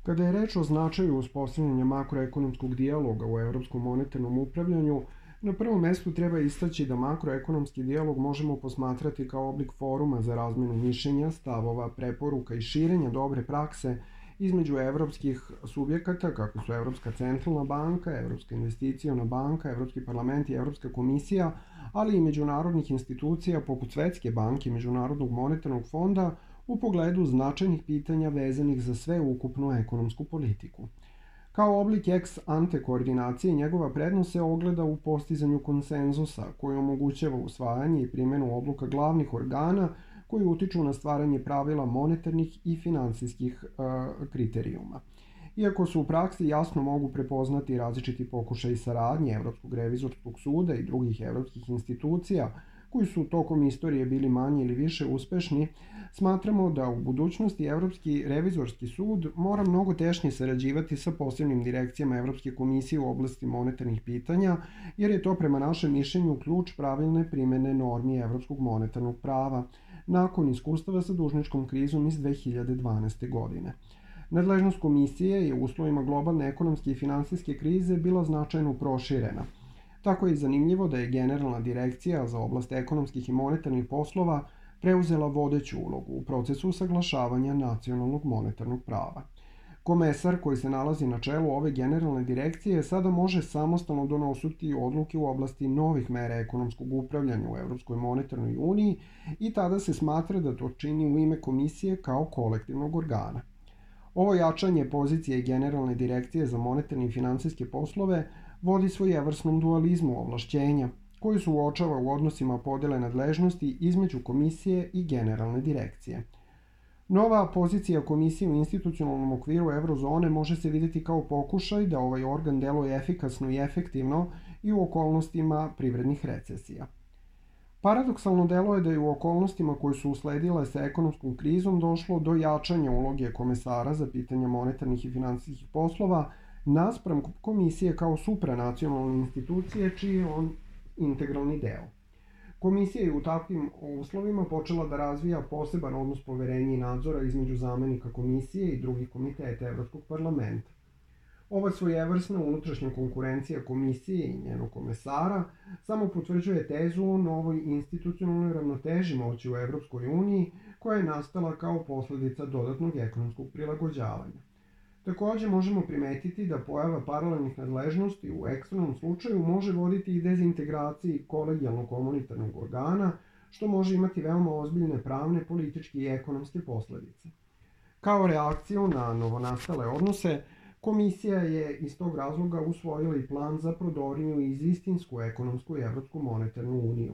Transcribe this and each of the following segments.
Kada je reč o značaju uspostavljanja makroekonomskog dijaloga u evropskom monetarnom upravljanju, na prvom mestu treba istaći da makroekonomski dijalog možemo posmatrati kao oblik foruma za razmenu mišljenja, stavova, preporuka i širenja dobre prakse između evropskih subjekata, kako su Evropska centralna banka, Evropska investiciona banka, Evropski parlament i Evropska komisija, ali i međunarodnih institucija poput Svetske banke i Međunarodnog monetarnog fonda u pogledu značajnih pitanja vezanih za sveukupnu ekonomsku politiku. Kao oblik ex ante koordinacije, njegova prednost se ogleda u postizanju konsenzusa, koji omogućava usvajanje i primjenu odluka glavnih organa koji utiču na stvaranje pravila monetarnih i finansijskih kriterijuma. Iako se u praksi jasno mogu prepoznati različiti pokušaji saradnje Evropskog revizorskog suda i drugih evropskih institucija, koji su tokom istorije bili manje ili više uspešni, smatramo da u budućnosti Evropski revizorski sud mora mnogo tešnje sarađivati sa posebnim direkcijama Evropske komisije u oblasti monetarnih pitanja, jer je to prema našem mišljenju ključ pravilne primene normi Evropskog monetarnog prava, nakon iskustava sa dužničkom krizom iz 2012. godine. Nadležnost komisije je u uslovima globalne ekonomske i finansijske krize bila značajno proširena. Tako je zanimljivo da je Generalna direkcija za oblast ekonomskih i monetarnih poslova preuzela vodeću ulogu u procesu usaglašavanja nacionalnog monetarnog prava. Komesar koji se nalazi na čelu ove generalne direkcije sada može samostalno donositi odluke u oblasti novih mera ekonomskog upravljanja u Evropskoj monetarnoj uniji i tada se smatra da to čini u ime komisije kao kolektivnog organa. Ovo jačanje pozicije Generalne direkcije za monetarne i finansijske poslove vodi svojevrsnom dualizmu ovlašćenja, koji se uočava u odnosima podele nadležnosti između komisije i generalne direkcije. Nova pozicija komisije u institucionalnom okviru eurozone može se vidjeti kao pokušaj da ovaj organ deluje efikasno i efektivno i u okolnostima privrednih recesija. Paradoksalno deluje da je u okolnostima koje su usledile sa ekonomskom krizom došlo do jačanja uloge komesara za pitanja monetarnih i finansijskih poslova naspram komisije kao supranacionalne institucije čiji je on integralni deo. Komisija je u takvim uslovima počela da razvija poseban odnos poverenja i nadzora između zamenika komisije i drugih komiteta Evropskog parlamenta. Ova svojevrsna unutrašnja konkurencija komisije i njenog komesara samo potvrđuje tezu o novoj institucionalnoj ravnoteži moći u Evropskoj uniji koja je nastala kao posledica dodatnog ekonomskog prilagođavanja. Takođe možemo primetiti da pojava paralelnih nadležnosti u ekstremnom slučaju može voditi i dezintegraciji kolegijalnog komunitarnog organa, što može imati veoma ozbiljne pravne, političke i ekonomske posledice. Kao reakciju na novonastale odnose, komisija je iz tog razloga usvojila i plan za prodorniju i istinsku ekonomsku i Evropsku monetarnu uniju.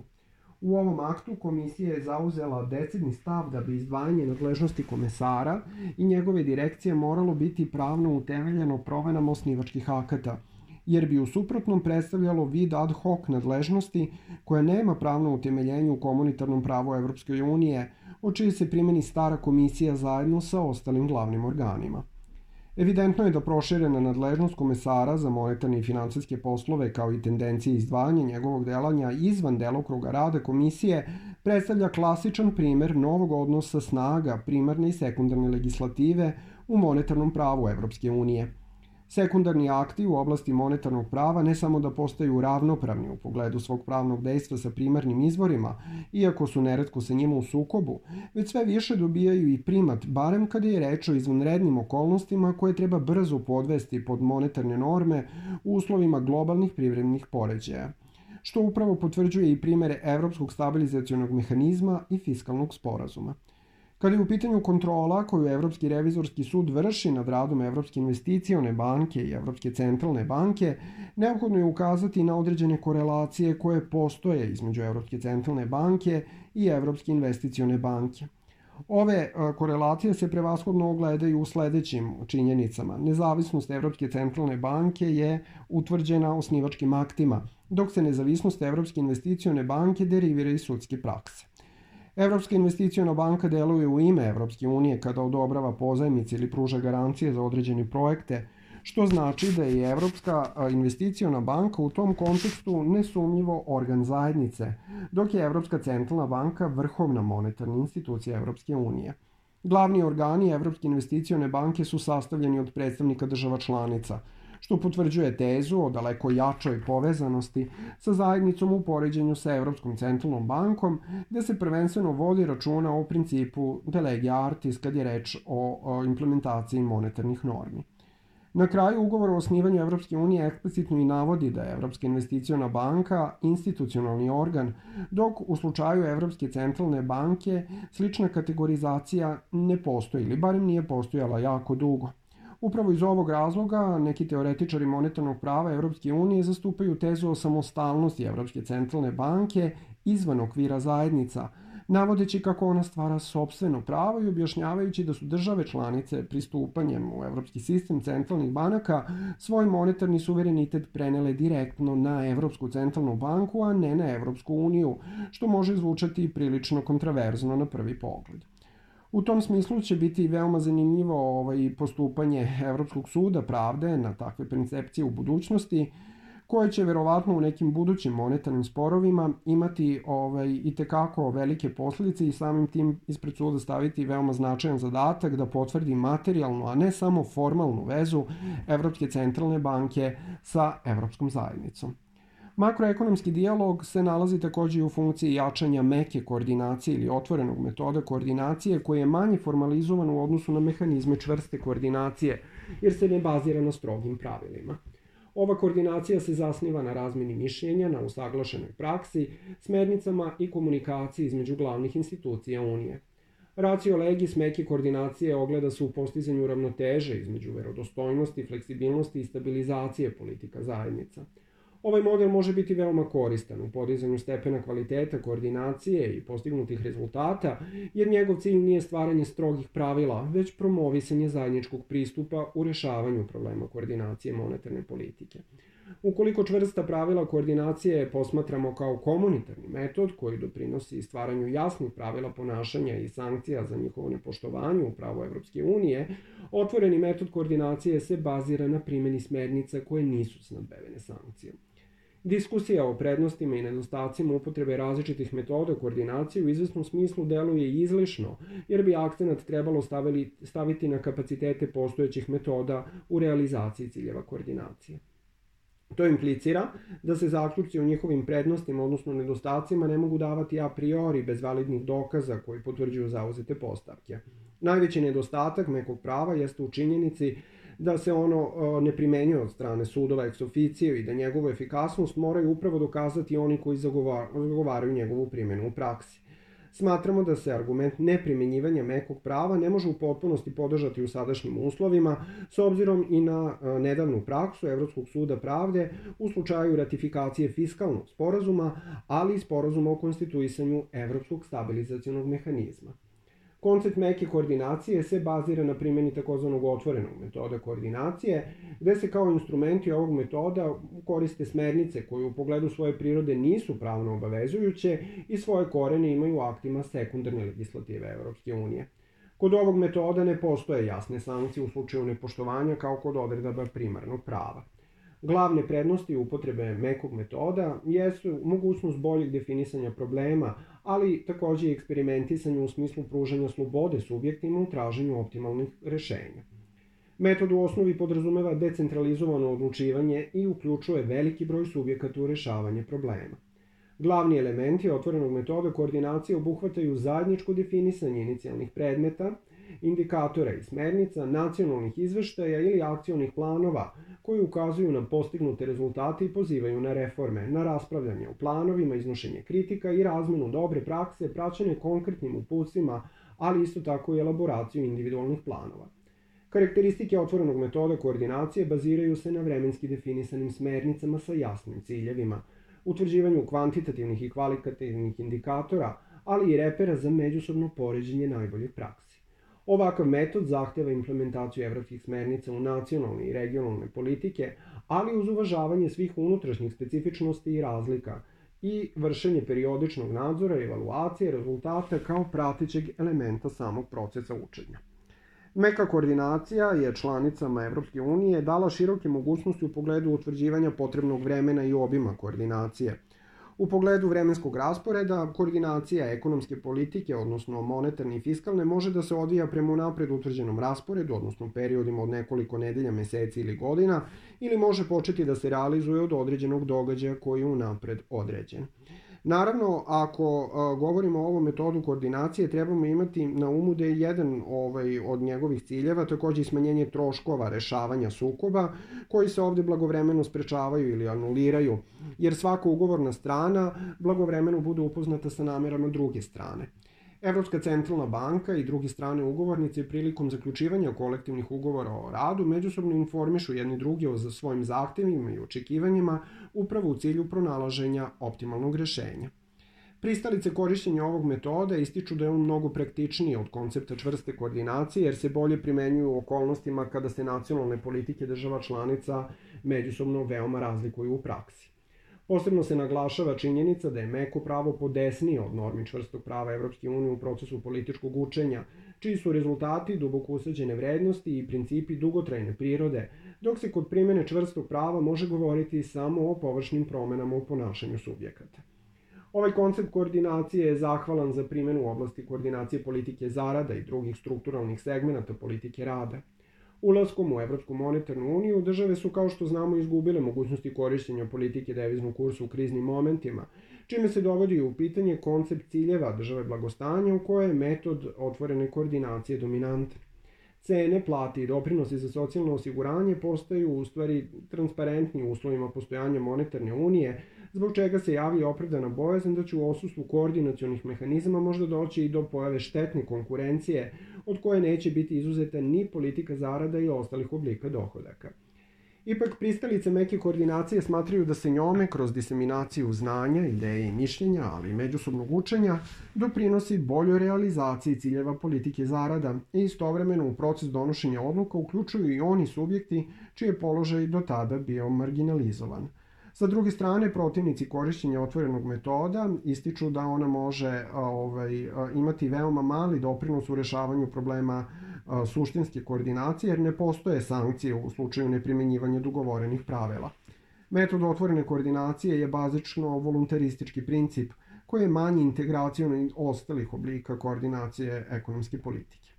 U ovom aktu komisija je zauzela decidni stav da bi izdvajanje nadležnosti komesara i njegove direkcije moralo biti pravno utemeljeno promenama osnivačkih akata, jer bi u suprotnom predstavljalo vid ad hoc nadležnosti koja nema pravno utemeljenje u komunitarnom pravu Evropske unije, o čiji se primeni stara komisija zajedno sa ostalim glavnim organima. Evidentno je da proširena nadležnost komesara za monetarne i finansijske poslove kao i tendencije izdvajanja njegovog delanja izvan delokruga rada komisije predstavlja klasičan primer novog odnosa snaga primarne i sekundarne legislative u monetarnom pravu Evropske unije. Sekundarni akti u oblasti monetarnog prava ne samo da postaju ravnopravni u pogledu svog pravnog dejstva sa primarnim izvorima, iako su neretko sa njima u sukobu, već sve više dobijaju i primat, barem kada je reč o izvanrednim okolnostima koje treba brzo podvesti pod monetarne norme u uslovima globalnih privrednih poređaja, što upravo potvrđuje i primere Evropskog stabilizacionog mehanizma i fiskalnog sporazuma. Kada je u pitanju kontrola koju Evropski revizorski sud vrši nad radom Evropske investicione banke i Evropske centralne banke, neophodno je ukazati na određene korelacije koje postoje između Evropske centralne banke i Evropske investicione banke. Ove korelacije se prevashodno ogledaju u sledećim činjenicama. Nezavisnost Evropske centralne banke je utvrđena osnivačkim aktima, dok se nezavisnost Evropske investicione banke derivira iz sudske prakse. Evropska investiciona banka deluje u ime Evropske unije kada odobrava pozajmice ili pruža garancije za određene projekte, što znači da je Evropska investiciona banka u tom kontekstu nesumnjivo organ zajednice, dok je Evropska centralna banka vrhovna monetarna institucija Evropske unije. Glavni organi Evropske investicione banke su sastavljeni od predstavnika država članica, što potvrđuje tezu o daleko jačoj povezanosti sa zajednicom u poređenju sa Evropskom centralnom bankom, gde se prvenstveno vodi računa o principu de lege artis kad je reč o implementaciji monetarnih normi. Na kraju, ugovor o osnivanju Evropske unije eksplicitno i navodi da je Evropska investiciona banka institucionalni organ, dok u slučaju Evropske centralne banke slična kategorizacija ne postoji, ili barem nije postojala jako dugo. Upravo iz ovog razloga neki teoretičari monetarnog prava Evropske unije zastupaju tezu o samostalnosti Evropske centralne banke izvan okvira zajednica, navodeći kako ona stvara sopstveno pravo i objašnjavajući da su države članice pristupanjem u evropski sistem centralnih banaka svoj monetarni suverenitet prenele direktno na Evropsku centralnu banku, a ne na Evropsku uniju, što može zvučati prilično kontraverzno na prvi pogled. U tom smislu će biti veoma zanimljivo postupanje Evropskog suda pravde na takve percepcije u budućnosti, koje će verovatno u nekim budućim monetarnim sporovima imati i tekako velike posljedice i samim tim ispred suda staviti veoma značajan zadatak da potvrdi materijalnu, a ne samo formalnu vezu Evropske centralne banke sa Evropskom zajednicom. Makroekonomski dijalog se nalazi takođe i u funkciji jačanja meke koordinacije ili otvorenog metoda koordinacije koji je manje formalizovan u odnosu na mehanizme čvrste koordinacije, jer se ne bazira na strogim pravilima. Ova koordinacija se zasniva na razmeni mišljenja, na usaglašenoj praksi, smernicama i komunikaciji između glavnih institucija Unije. Ratio legis meke koordinacije ogleda se u postizanju ravnoteže između verodostojnosti, fleksibilnosti i stabilizacije politika zajednica. Ovaj model može biti veoma koristan u podizanju stepena kvaliteta koordinacije i postignutih rezultata, jer njegov cilj nije stvaranje strogih pravila, već promovisanje zajedničkog pristupa u rešavanju problema koordinacije monetarne politike. Ukoliko čvrsta pravila koordinacije posmatramo kao komunitarni metod koji doprinosi stvaranju jasnih pravila ponašanja i sankcija za njihovo nepoštovanje u pravu Evropske unije, otvoreni metod koordinacije se bazira na primjeni smernica koje nisu snabdevene sankcijom. Diskusija o prednostima i nedostacima upotrebe različitih metoda koordinacije u izvesnom smislu deluje izlišno, jer bi akcenat trebalo staviti na kapacitete postojećih metoda u realizaciji ciljeva koordinacije. To implicira da se zaključci o njihovim prednostima, odnosno nedostacima, ne mogu davati a priori bez validnih dokaza koji potvrđuju zauzete postavke. Najveći nedostatak mekog prava jeste u činjenici da se ono ne primenjuje od strane sudova ex officio i da njegovu efikasnost moraju upravo dokazati oni koji zagovaraju njegovu primjenu u praksi. Smatramo da se argument neprimenjivanja mekog prava ne može u potpunosti podržati u sadašnjim uslovima, s obzirom i na nedavnu praksu Evropskog suda pravde u slučaju ratifikacije fiskalnog sporazuma, ali i sporazuma o konstituisanju Evropskog stabilizacionog mehanizma. Koncept meke koordinacije se bazira na primjeni takozvanog otvorenog metoda koordinacije, gde se kao instrumenti ovog metoda koriste smernice koje u pogledu svoje prirode nisu pravno obavezujuće i svoje korene imaju u aktima sekundarne legislative Evropske unije. Kod ovog metoda ne postoje jasne sankcije u slučaju nepoštovanja kao kod odredaba primarnog prava. Glavne prednosti upotrebe mekog metoda jesu mogućnost boljeg definisanja problema, ali takođe i eksperimentisanje u smislu pružanja slobode subjektima u traženju optimalnih rešenja. Metod u osnovi podrazumeva decentralizovano odlučivanje i uključuje veliki broj subjekata u rešavanje problema. Glavni elementi otvorenog metoda koordinacije obuhvataju zajedničko definisanje inicijalnih predmeta, indikatora i smernica, nacionalnih izveštaja ili akcionih planova koji ukazuju na postignute rezultate i pozivaju na reforme, na raspravljanje o planovima, iznošenje kritika i razmenu dobre prakse, praćene konkretnim uputstvima, ali isto tako i elaboraciju individualnih planova. Karakteristike otvorenog metoda koordinacije baziraju se na vremenski definisanim smernicama sa jasnim ciljevima, utvrđivanju kvantitativnih i kvalitativnih indikatora, ali i repera za međusobno poređenje najboljih praksi. Ovakav metod zahteva implementaciju evropskih smernica u nacionalne i regionalne politike, ali uz uvažavanje svih unutrašnjih specifičnosti i razlika i vršenje periodičnog nadzora i evaluacije rezultata kao pratećeg elementa samog procesa učenja. Meka koordinacija je članicama Evropske unije dala široke mogućnosti u pogledu utvrđivanja potrebnog vremena i obima koordinacije. U pogledu vremenskog rasporeda, koordinacija ekonomske politike, odnosno monetarne i fiskalne, može da se odvija prema unapred utvrđenom rasporedu, odnosno periodima od nekoliko nedelja, meseci ili godina, ili može početi da se realizuje od određenog događaja koji je unapred određen. Naravno, ako govorimo o ovom metodu koordinacije, trebamo imati na umu da je jedan od njegovih ciljeva takođe i smanjenje troškova rešavanja sukoba, koji se ovde blagovremeno sprečavaju ili anuliraju, jer svaka ugovorna strana blagovremeno bude upoznata sa namerama druge strane. Evropska centralna banka i druge strane ugovornice prilikom zaključivanja kolektivnih ugovora o radu međusobno informišu jedni drugi o svojim zahtevima i očekivanjima upravo u cilju pronalaženja optimalnog rešenja. Pristalice korišćenja ovog metoda ističu da je on mnogo praktičniji od koncepta čvrste koordinacije jer se bolje primenjuju u okolnostima kada se nacionalne politike država članica međusobno veoma razlikuju u praksi. Posebno se naglašava činjenica da je meko pravo podesnije od normi čvrstog prava Evropske unije u procesu političkog učenja, čiji su rezultati duboko usađene vrednosti i principi dugotrajne prirode, dok se kod primene čvrstog prava može govoriti samo o površnim promenama u ponašanju subjekata. Ovaj koncept koordinacije je zahvalan za primenu u oblasti koordinacije politike zarada i drugih strukturalnih segmenata politike rada. Ulaskom u Evropsku monetarnu uniju, države su, kao što znamo, izgubile mogućnosti korišćenja politike deviznog kursa u kriznim momentima, čime se dovodi u pitanje koncept ciljeva države blagostanja u kojoj je metod otvorene koordinacije dominantan. Cene, plate i doprinosi za socijalno osiguranje postaju u stvari transparentni u uslovima postojanja monetarne unije, zbog čega se javlja opravdana bojazan da će u odsustvu koordinacionih mehanizama možda doći i do pojave štetne konkurencije, od koje neće biti izuzeta ni politika zarada i ostalih oblika dohodaka. Ipak, pristalice meke koordinacije smatraju da se njome, kroz diseminaciju znanja, ideje i mišljenja, ali i međusobnog učenja, doprinosi boljoj realizaciji ciljeva politike zarada i istovremeno u proces donošenja odluka uključuju i oni subjekti čiji je položaj do tada bio marginalizovan. Sa druge strane, protivnici korišćenja otvorenog metoda ističu da ona može imati veoma mali doprinos u rešavanju problema suštinske koordinacije, jer ne postoje sankcije u slučaju neprimenjivanja dogovorenih pravila. Metod otvorene koordinacije je bazično voluntaristički princip koji je manji integracijon od ostalih oblika koordinacije ekonomske politike.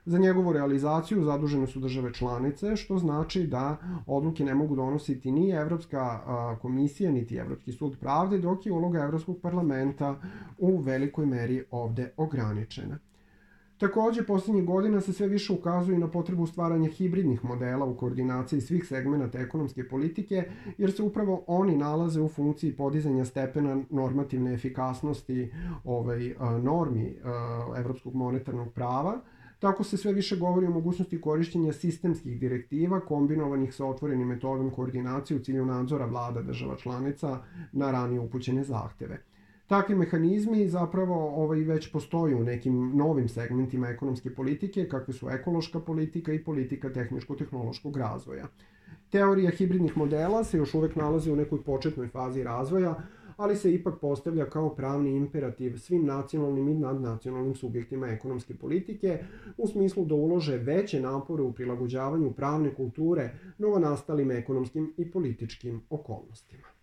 Za njegovu realizaciju zadužene su države članice, što znači da odluke ne mogu donositi ni Evropska komisija, niti Evropski sud pravde, dok je uloga Evropskog parlamenta u velikoj meri ovde ograničena. Takođe, poslednjih godina se sve više ukazuje na potrebu stvaranja hibridnih modela u koordinaciji svih segmenata ekonomske politike, jer se upravo oni nalaze u funkciji podizanja stepena normativne efikasnosti normi Evropskog monetarnog prava. Tako se sve više govori o mogućnosti korišćenja sistemskih direktiva kombinovanih sa otvorenim metodom koordinacije u cilju nadzora vlada država članica na ranije upućene zahteve. Takvi mehanizmi zapravo već postoje u nekim novim segmentima ekonomske politike, kakve su ekološka politika i politika tehničko-tehnološkog razvoja. Teorija hibridnih modela se još uvek nalazi u nekoj početnoj fazi razvoja, ali se ipak postavlja kao pravni imperativ svim nacionalnim i nadnacionalnim subjektima ekonomske politike u smislu da ulože veće napore u prilagođavanju pravne kulture novonastalim ekonomskim i političkim okolnostima.